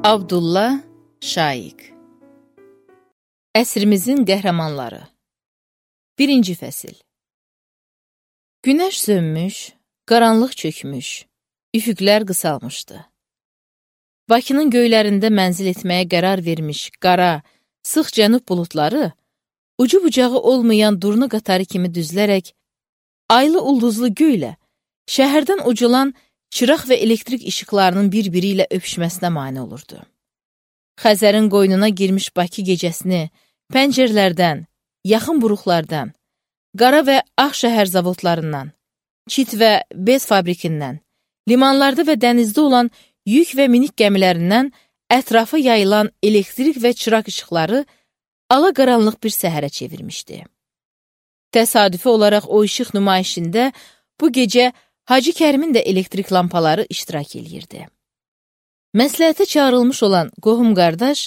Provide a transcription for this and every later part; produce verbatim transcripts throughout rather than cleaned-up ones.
Abdullah Şaiq. Əsrimizin qəhrəmanları. Birinci fəsil. Günəş sönmüş, qaranlıq çökmüş, üfüqlər qısalmışdı. Bakının göylərində mənzil etməyə qərar vermiş qara, sıx cənub buludları, ucu bucağı olmayan durna qatarı kimi düzlərək, aylı ulduzlu göylə, şəhərdən uculan çıraq və elektrik işıqlarının bir-biri ilə öpüşməsinə mane olurdu. Xəzərin qoynuna girmiş Bakı gecəsini pəncərlərdən, yaxın buruqlardan, qara və ağ şəhər zavodlarından, çit və bez fabrikindən, limanlarda və dənizdə olan yük və minik gəmilərindən ətrafa yayılan elektrik və çıraq işıqları ala-qaranlıq bir səhərə çevirmişdi. Təsadüfi olaraq o işıq nümayişində bu gecə Hacı Kərimin də elektrik lampaları iştirak eləyirdi. Məsləhətə çağırılmış olan qohum-qardaş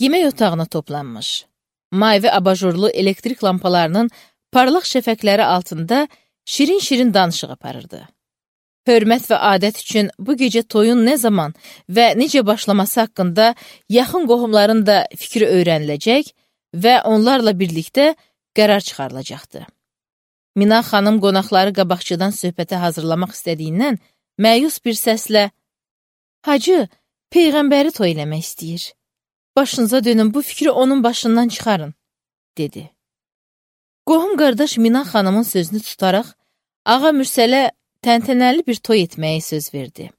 yemək otağına toplanmış. Mavi abajurlu elektrik lampalarının parlaq şəfəqləri altında şirin-şirin danışıq aparırdı. Hörmət və adət üçün bu gecə toyun nə zaman və necə başlaması haqqında yaxın qohumların da fikri öyrəniləcək və onlarla birlikdə qərar çıxarılacaqdı. Mina xanım qonaqları qabaqçıdan söhbətə hazırlamaq istədiyindən məyus bir səslə "Hacı, Peyğəmbəri toy eləmək istəyir. Başınıza dönün, bu fikri onun başından çıxarın," dedi. Qohum qardaş Mina xanımın sözünü tutaraq Ağa Mürsələ təntənəli bir toy etməyə söz verdi.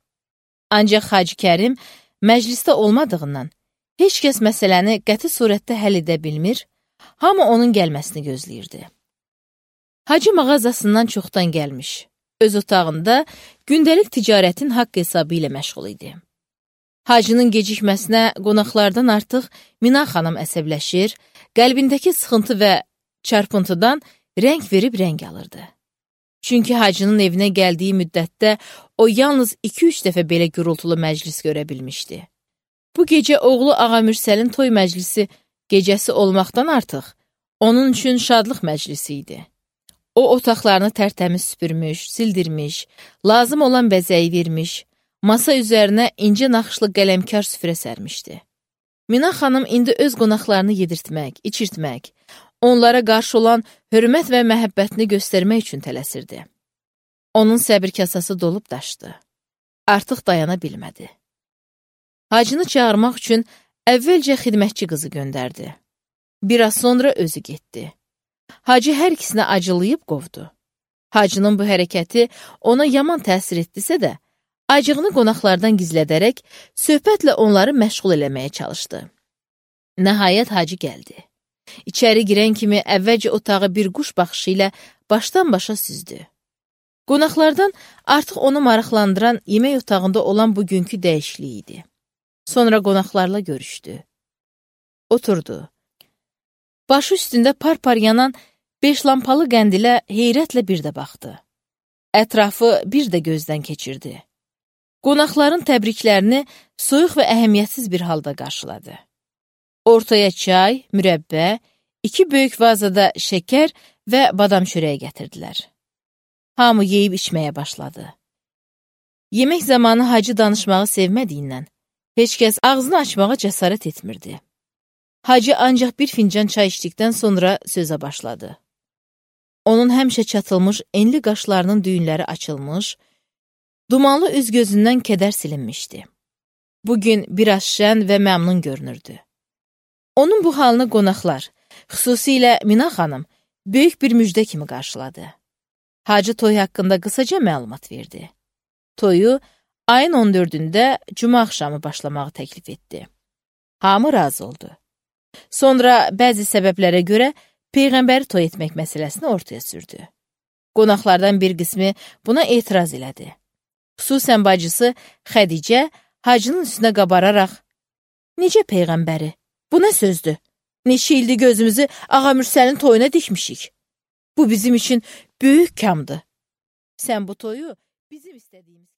Ancaq Hacı Kərim məclisdə olmadığından heç kəs məsələni qəti surətdə həll edə bilmir, hamı onun gəlməsini gözləyirdi. Hacı mağazasından çoxdan gəlmiş, öz otağında gündəlik ticarətin haqq hesabı ilə məşğul idi. Hacının gecikməsinə qonaqlardan artıq Mina xanım əsəbləşir, qəlbindəki sıxıntı və çarpıntıdan rəng verib rəng alırdı. Çünki Hacının evinə gəldiyi müddətdə o yalnız iki-üç dəfə belə gürültülü məclis görə bilmişdi. Bu gecə oğlu Ağa Mürsəlin toy məclisi gecəsi olmaqdan artıq onun üçün şadlıq məclisi idi. O otaqlarını tərtəmiz süpürmüş, sildirmiş, lazım olan bəzəyi vermiş, masa üzərinə incə naxışlı qələmkar süfrə sərmişdi. Mina xanım indi öz qonaqlarını yedirtmək, içirtmək, onlara qarşı olan hörmət və məhəbbətini göstərmək üçün tələsirdi. Onun səbir kasası dolub daşdı. Artıq dayana bilmədi. Hacını çağırmaq üçün əvvəlcə xidmətçi qızı göndərdi. Biraz sonra özü getdi. Hacı hər ikisinə acılayıb qovdu. Hacının bu hərəkəti ona yaman təsir etdisə də, acığını qonaqlardan gizlədərək söhbətlə onları məşğul eləməyə çalışdı. Nəhayət Hacı gəldi. İçəri girən kimi əvvəlcə otağı bir quş baxışı ilə başdan başa süzdü. Qonaqlardan artıq onu maraqlandıran yemək otağında olan bugünkü dəyişiklik idi. Sonra qonaqlarla görüşdü. Oturdu. Başı üstündə par-par yanan beş lampalı qəndilə heyrətlə bir də baxdı. Ətrafı bir də gözdən keçirdi. Qonaqların təbriklərini soyuq və əhəmiyyətsiz bir halda qarşıladı. Ortaya çay, mürəbbə, iki böyük vazada şəkər və badam çörəyi gətirdilər. Hamı yeyib içməyə başladı. Yemək zamanı Hacı danışmağı sevmədiyindən heç kəs ağzını açmağa cəsarət etmirdi. Hacı ancaq bir fincan çay içdikdən sonra sözə başladı. Onun həmişə çatılmış enli qaşlarının düyünləri açılmış, dumanlı üz-gözündən kədər silinmişdi. Bugün biraz şən və məmnun görünürdü. Onun bu halını qonaqlar, xüsusilə Mina xanım, böyük bir müjdə kimi qarşıladı. Hacı toy haqqında qısaca məlumat verdi. Toyu ayın on dördündə cümə axşamı başlamağı təklif etdi. Hamı razı oldu. Sonra bəzi səbəblərə görə Peyğəmbəri toy etmək məsələsini ortaya sürdü. Qonaqlardan bir qismi buna etiraz elədi. Xüsusən bacısı Xədicə Hacının üstünə qabararaq "Necə Peyğəmbəri? Bu nə sözdür? Neçə ildir gözümüzü Ağa Mürsəlin toyuna dikmişik. Bu bizim üçün böyük kamdır. Sən bu toyu bizim istədiyimiz